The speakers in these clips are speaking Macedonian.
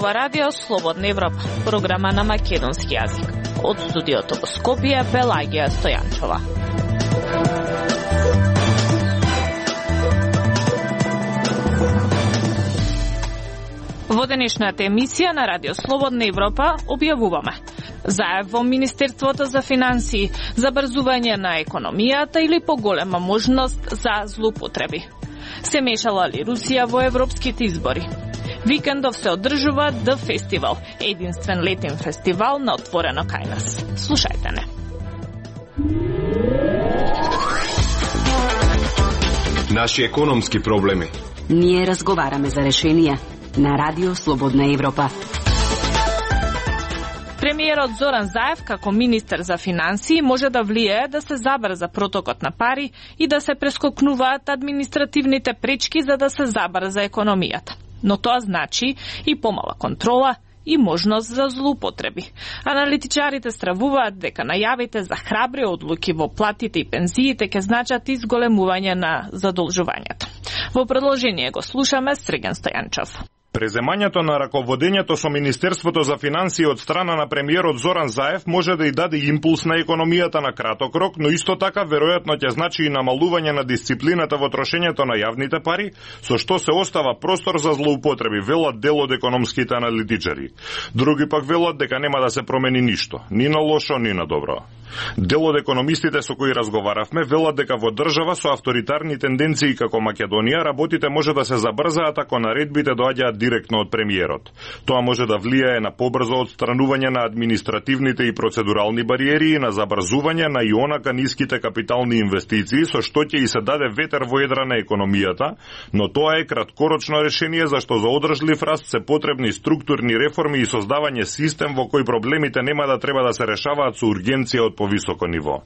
ова радио Слободна Европа, програма на македонски јазик. Од студиото во Скопје, Пелагија Стојанчова. Во денешната емисија на Радио Слободна Европа објавуваме заев во Министерството за финансии, забрзување на економијата или поголема можност за злоупотреби. Се мешала ли Русија во европските избори? Викендов се одржува The Festival, единствен летен фестивал на отворено кај нас. Слушајте не. Наши економски проблеми. Ние разговараме за решенија на Радио Слободна Европа. Премиерот Зоран Заев, како министер за финансии, може да влијае да се забрза протокот на пари и да се прескокнуваат административните пречки за да се забрза економијата. Но тоа значи и помала контрола и можност за злоупотреби. Аналитичарите стравуваат дека најавите за храбри одлуки во платите и пензиите ќе значат изголемување на задолжувањето. Во продолжение го слушаме Срген Стојанчов. Преземањето на раководењето со Министерството за финансии од страна на премиерот Зоран Заев може да и даде импулс на економијата на краток рок, но исто така веројатно ќе значи и намалување на дисциплината во трошењето на јавните пари, со што се остава простор за злоупотреби, велат дел од економските аналитичари. Други пак велат дека нема да се промени ништо, ни на лошо, ни на добро. Дел од економистите со кои разговаравме велат дека во држава со авторитарни тенденции како Македонија работите може да се забрзаат ако наредбите доаѓаат директно од премиерот. Тоа може да влијае на побрзо отстранување на административните и процедурални бариери и на забрзување на ионака ниските капитални инвестиции, со што ќе и се даде ветер во едра на економијата, но тоа е краткорочно решение зашто за одржлив раст се потребни структурни реформи и создавање систем во кој проблемите нема да треба да се решаваат со ургенција од повисоко ниво.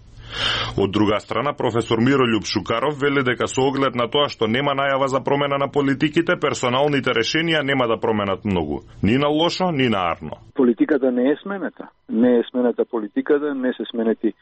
Од друга страна, професор Мирољуб Шукаров вели дека со оглед на тоа што нема најава за промена на политиките, персоналните решенија нема да променат многу. Ни на лошо, ни на арно. Политиката не е сменета. Не е сменета политиката, не се сменети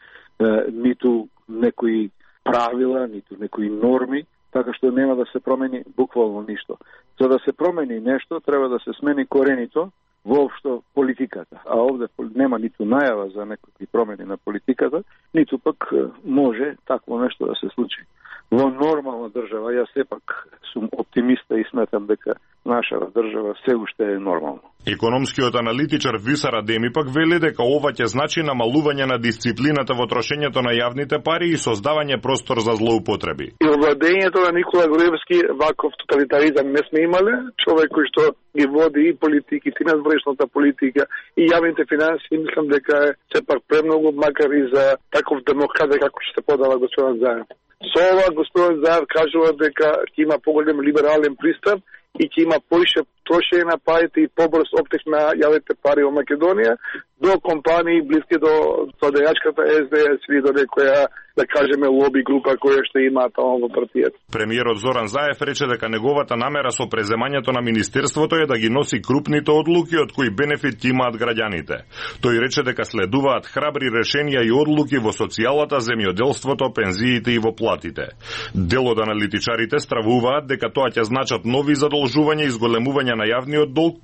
ниту некои правила, ниту некои норми, така што нема да се промени буквално ништо. За да се промени нешто, треба да се смени коренито воопшто политиката. А овде нема ниту најава за некакви промени на политиката, ниту пак може такво нешто да се случи. Во нормална држава, јас сепак сум оптимиста и сметам дека нашава држава се уште е нормално. Економскиот аналитичар Висар Адеми пак вели дека ова ќе значи намалување на дисциплината во трошењето на јавните пари и создавање простор за злоупотреби. И владењето на Никола Груевски ваков тоталитаризам не сме имале, човек кој што ги води и политиките, и надворешната политика, и јавните финансии, мислам дека е сепак премногу, макар и за таков демократ како што се подава господин Заев. Со ова господин Заев кажува дека ќе има поголем либерален пристап и ќе има поише трошење на парите и побрз оптек на јавните пари во Македонија до компании блиски до владеачката СДС или до некоја, да кажеме, лоби група која што има таму во партијата. Премиерот Зоран Заев рече дека неговата намера со преземањето на министерството е да ги носи крупните одлуки од кои бенефит имаат граѓаните. Тој рече дека следуваат храбри решенија и одлуки во социјалата, земјоделството, пензиите и во платите. Дел од аналитичарите стравуваат дека тоа ќе значат нови задолжувања и зголемување на јавниот долг.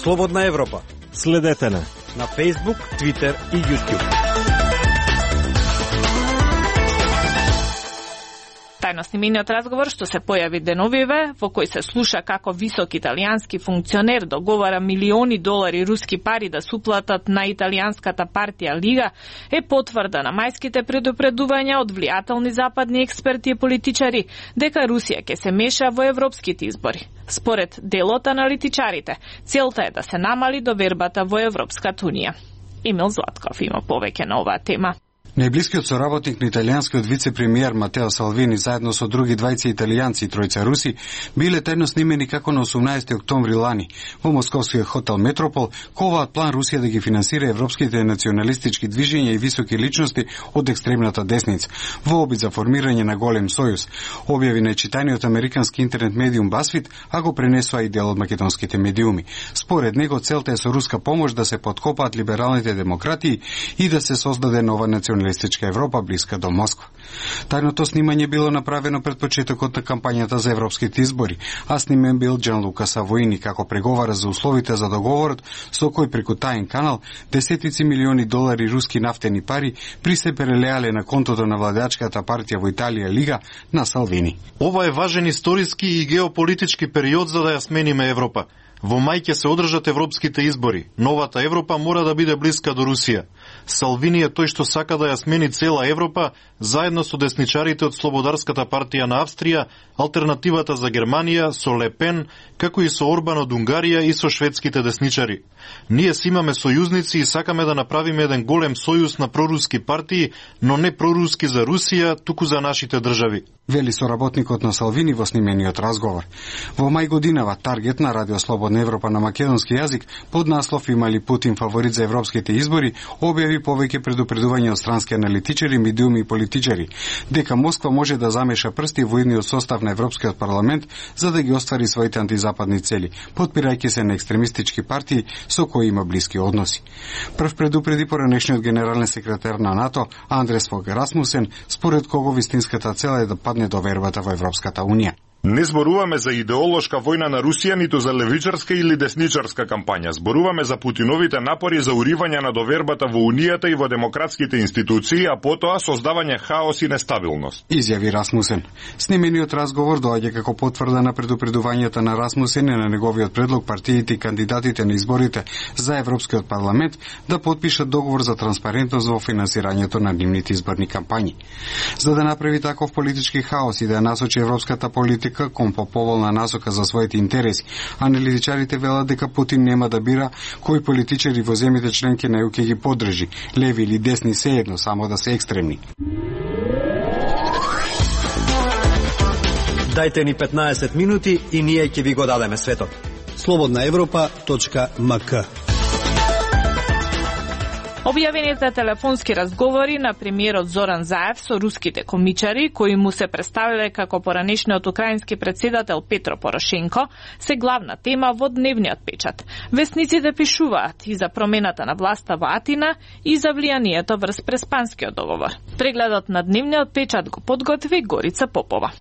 Слободна Европа. Следете на Facebook, Twitter и YouTube. Тајно снимениот разговор што се појави деновиве, во кој се слуша како висок италијански функционер договара милиони долари руски пари да се уплатат на италијанската партија Лига, е потврда на мајските предупредувања од влијателни западни експерти и политичари дека Русија ќе се меша во европските избори. Според делот аналитичарите, целта е да се намали довербата во Европската унија. Емил Златков има повеќе на оваа тема. Најблискиот соработник на италијанскиот вице-премиер Матео Салвини заедно со други двајца италијанци и тројца руси биле тајно снимени како на 18 октомври лани во московскиот хотел Метропол, коваат план Русија да ги финансира европските националистички движења и високи личности од екстремната десница во обид за формирање на голем сојуз, објави најчитаниот американски интернет медиум BuzzFeed, а го пренесува и дел од македонските медиуми. Според него целта е со руска помош да се подкопаат либералните демократии и да се создаде нова националистичка националистичка Европа блиска до Москва. Тајното снимање било направено пред почетокот на кампањата за европските избори, а снимен бил Джанлука Савоини како преговара за условите за договорот со кој преку таен канал десетици милиони долари руски нафтени пари при се прелеале на контото на владачката партија во Италија Лига на Салвини. Ова е важен историски и геополитички период за да ја смениме Европа. Во мај ќе се одржат европските избори. Новата Европа мора да биде блиска до Русија. Салвини е тој што сака да ја смени цела Европа, заедно со десничарите од Слободарската партија на Австрија, Алтернативата за Германија, со Ле Пен, како и со Орбан од Унгарија и со шведските десничари. Ние си имаме сојузници и сакаме да направиме еден голем сојуз на проруски партии, но не проруски за Русија, туку за нашите држави. Вели соработникот на Салвини во снимениот разговор. Во мај годинава Таргет на Радио Слободна Европа на македонски јазик под наслов "Има ли Путин фаворит за европските избори" објави повеќе предупредувања од странски аналитичари, медиуми и политичари дека Москва може да замеша прсти во идниот состав на Европскиот парламент за да ги оствари своите антизападни цели, подпирајќи се на екстремистички партии со кои има блиски односи. Прв предупреди поранешниот генерален секретар на НАТО Андрес Фог Расмусен, според кого вистинската цел е да падне довербата во Европската унија. Не зборуваме за идеолошка војна на Русија, ниту за левичарска или десничарска кампања. Зборуваме за Путиновите напори за уривање на довербата во Унијата и во демократските институции, а потоа создавање хаос и нестабилност. Изјави Расмусен. Снимениот разговор доаѓа како потврда на предупредувањата на Расмусен и на неговиот предлог партиите и кандидатите на изборите за Европскиот парламент да потпишат договор за транспарентност во финансирањето на нивните изборни кампањи. За да направи таков политички хаос и да насочи европската политика кон поповолна насока за своите интереси, аналитичарите велат дека Путин нема да бира кои политичари во земјите членки на ЕУ ќе ги поддржи, леви или десни сеедно, само да се екстремни. Дајте ни 15 минути и ние ќе ви го дадеме светот. slobodnaevropa.mk. Објавените телефонски разговори на премиерот Зоран Заев со руските комичари, кои му се представиле како поранешниот украински председател Петро Порошенко, се главна тема во дневниот печат. Весниците пишуваат и за промената на власта во Атина и за влијанието врз Преспанскиот договор. Прегледот на дневниот печат го подготви Горица Попова.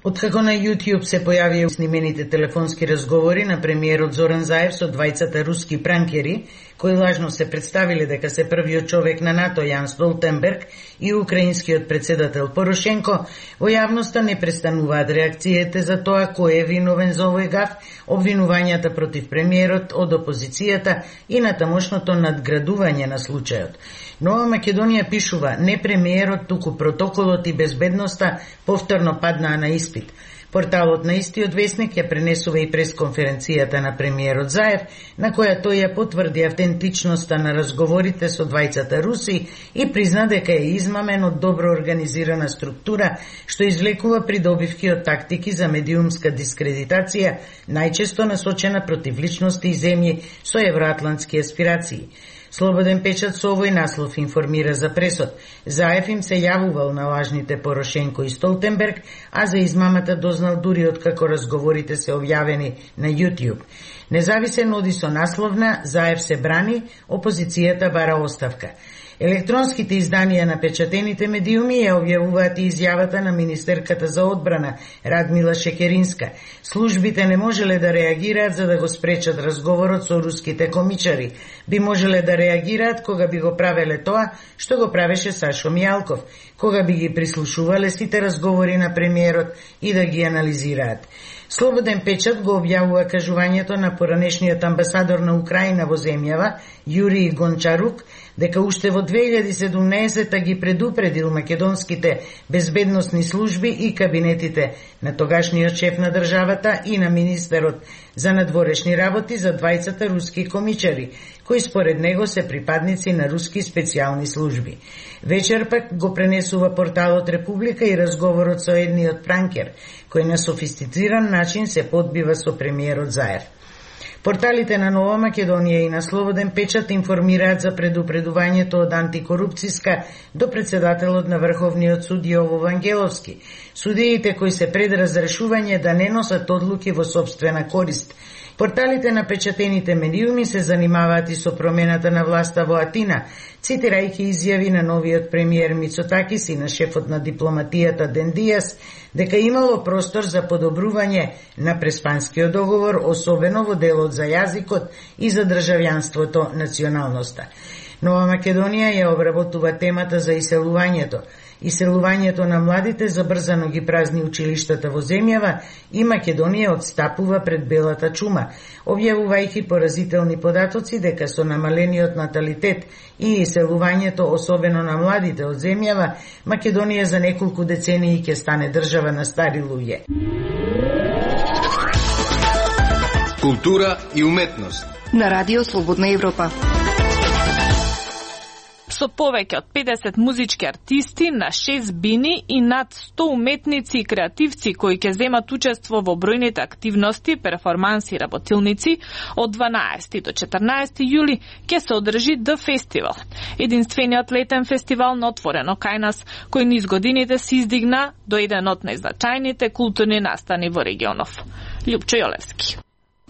Откако на YouTube се појавија снимените телефонски разговори на премиерот Зоран Заев со двајцата руски пранкери, кои лажно се представиле дека се првиот човек на НАТО Јан Столтенберг и украинскиот председател Порошенко, во јавноста не престануваат реакциите за тоа кој е виновен за овој гаф, обвинувањата против премиерот од опозицијата и на тамошното надградување на случајот. Нова Македонија пишува, не премиерот, туку протоколот и безбедноста повторно паднаа на испит. Порталот на истиот весник ја пренесува и пресконференцијата на премиерот Заев, на која тој ја потврди автентичноста на разговорите со двајцата руси и призна дека е измамен од добро организирана структура, што извлекува придобивки од тактики за медиумска дискредитација, најчесто насочена против личности и земји со евроатлантски аспирации. Слободен печат со овој наслов информира за пресод. Заев им се јавувал на лажните Порошенко и Столтенберг, а за измамата дознал дури откако разговорите се објавени на YouTube. Независен оди со насловна Заев се брани, опозицијата бара оставка. Електронските изданија на печатените медиуми ја објавуваат и изјавата на министерката за одбрана Радмила Шекеринска. Службите не можеле да реагираат за да го спречат разговорот со руските комичари. Би можеле да реагираат кога би го правеле тоа што го правеше Сашо Мијалков, кога би ги прислушувале сите разговори на премиерот и да ги анализираат. Слободен печат го објавува кажувањето на поранешниот амбасадор на Украина во земјава, Јурий Гончарук, дека уште во 2017 ги предупредил македонските безбедносни служби и кабинетите на тогашниот шеф на државата и на министерот за надворешни работи за двајцата руски комичари, кои според него се припадници на руски специјални служби. Вечер пак го пренесува порталот Република и разговорот со едниот пранкер, кој на софистициран начин се подбива со премиерот Заев. Порталите на Нова Македонија и на Слободен печат информираат за предупредувањето од антикорупцијска до председателот на Врховниот суд Јово Вангеловски. Судиите кои се пред разрешување да не носат одлуки во сопствена корист Порталите на печатените медиуми се занимаваат и со промената на власта во Атина, цитирајќи изјави на новиот премиер Мицотакис и на шефот на дипломатијата Ден Диас, дека имало простор за подобрување на преспанскиот договор, особено во делот за јазикот и за државјанството, националноста. Нова Македонија ја обработува темата за иселувањето. Иселувањето на младите забрзано ги празни училиштата во земјава и Македонија отстапува пред белата чума, објавувајќи поразителни податоци дека со намалениот наталитет и иселувањето, особено на младите од земјава, Македонија за неколку децении ќе стане држава на стари луѓе. Култура и уметност на Радио Слободна Европа. Со повеќе од 50 музички артисти на 6 бини и над 100 уметници и креативци кои ќе земат учество во бројните активности, перформанси и работилници, од 12 до 14 јули ќе се одржи The Festival, единствениот летен фестивал на отворено кај нас, кој низ годините се издигна до еден од најзначајните културни настани во регионов. Љупчо Јолевски.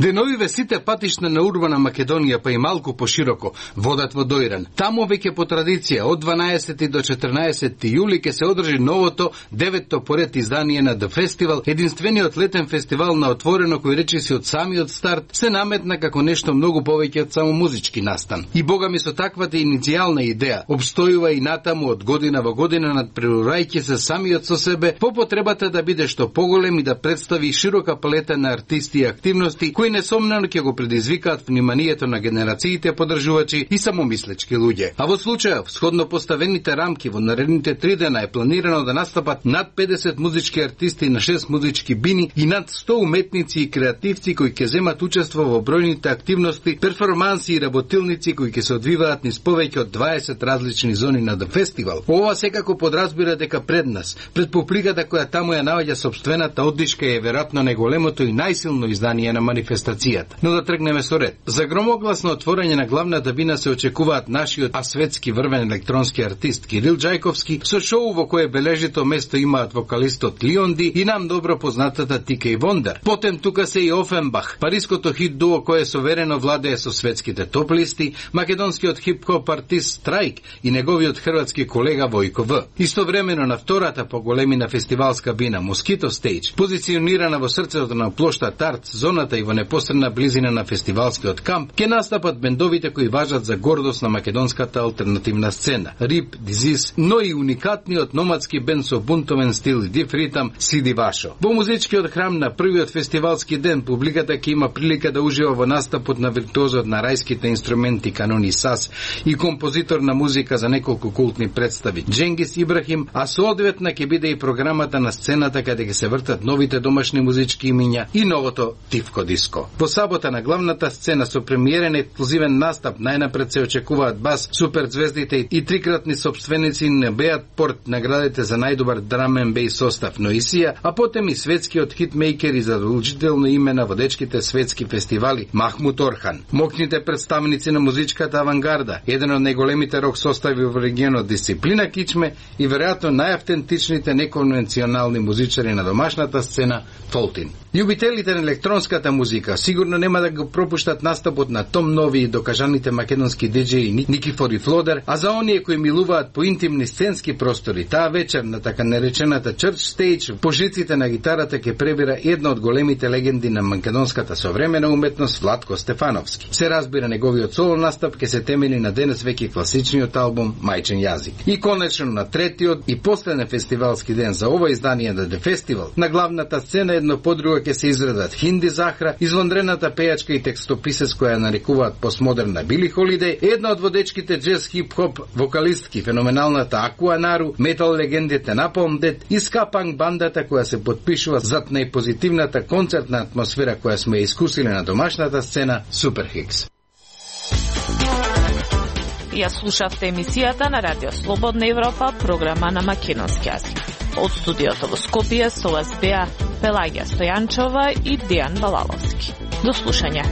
Деновиве сите патишта на урбана Македонија, па и малку пошироко, водат во Доиран. Таму веќе по традиција од 12 до 14 јули ќе се одржи новото 9-то поред издание на The Festival, единствениот летен фестивал на отворено кој речиси од самиот старт се наметна како нешто многу повеќе од само музички настан. И богами со таквата иницијална идеја обстојува и натаму од година во година надпреварувајќи се самиот со себе по потребата да биде што поголем и да представи широка палета на артисти и активности кои несомнено ќе го предизвикаат вниманието на генерациите подржувачи и самомислечки луѓе. А во случајов, сходно поставените рамки во наредните 3 дена е планирано да настапат над 50 музички артисти на 6 музички бини и над 100 уметници и креативци кои ќе земат учество во бројните активности, перформанси и работилници кои ќе се одвиваат низ повеќе од 20 различни зони на The Festival. Ова секако подразбира дека пред нас, пред публиката која таму ја наоѓа собствената оддишка е веројатно најголемото и најсилно издание на манифестацијата. Но да тргнеме со ред. За громогласно отворање на главната бина се очекуваат нашиот светски врвен електронски артист Кирил Џајковски со шоу во кое бележито место имаат вокалистот Лионди и нам добро познатата Тикеј Вондар. Потем тука се и Офенбах, париското хит дуо кое соверено владее со светските топ листи, македонскиот хип-хоп артист Страйк и неговиот хрватски колега Војко В. Истовремено на втората поголемина фестивалска бина Москито Стејдж, позиционирана во срцето на плоштад Арт, зоната и во непосредна близина на фестивалскиот камп, ќе настапат бендовите кои важат за гордост на македонската алтернативна сцена. Рип, Дизис, но и уникатниот номадски бенд со бунтовен стил и див ритам Сиди Вашо. Во музичкиот храм на првиот фестивалски ден публиката ќе има прилика да ужива во настапот на виртуозот на рајските инструменти Канони Сас и композитор на музика за неколку култни представи Дженгис Ибрахим, а соодветна ќе биде и програмата на сцената каде ќе се вртат новите домашни музички имиња и новото Тивко диско. Во сабота на главната сцена со премиерен ексклузивен настап најнапред се очекуваат бас, суперзвездите и трикратни собственици на Беат Порт наградите за најдобар драмен бејс состав Ноисија, а потем и светскиот хитмейкер и задолжително име на водечките светски фестивали Махмут Орхан. Мокните представници на музичката авангарда, еден од најголемите рок состави во регионот Дисциплина Кичме и веројатно најавтентичните неконвенционални музичари на домашната сцена Фолтин. Љубителите на електронската музика сигурно нема да го пропуштат настапот на Том Нови и докажаните македонски диџеи Никифор и Флодер, а за оние кои милуваат по интимни сценски простори, таа вечер на така наречената Church Stage по жиците на гитарата ќе пребира една од големите легенди на македонската современа уметност Владко Стефановски. Се разбира, неговиот соло настап ќе се темели на денес веќе класичниот албум Мајчен јазик. И конечно на третиот и последен фестивалски ден за ова издание на The Festival, на главната сцена едно по друго ќе се изредат Хинди Захра, извонредната пејачка и текстописец која нарекуваат постмодерна Били Холидеј, една од водечките джез хип-хоп вокалистки, феноменалната Акуа Нару, метал легендите Напалм Дед и ска-панк бандата која се потпишува зад најпозитивната концертна атмосфера која сме искусили на домашната сцена Супер Хикс. Ја слушавте емисијата на Радио Слободна Европа, програма на македонски јазик. Од студиото во Скопје со вас беа Пелагија Стојанчова и Дејан Балаловски. До слушање.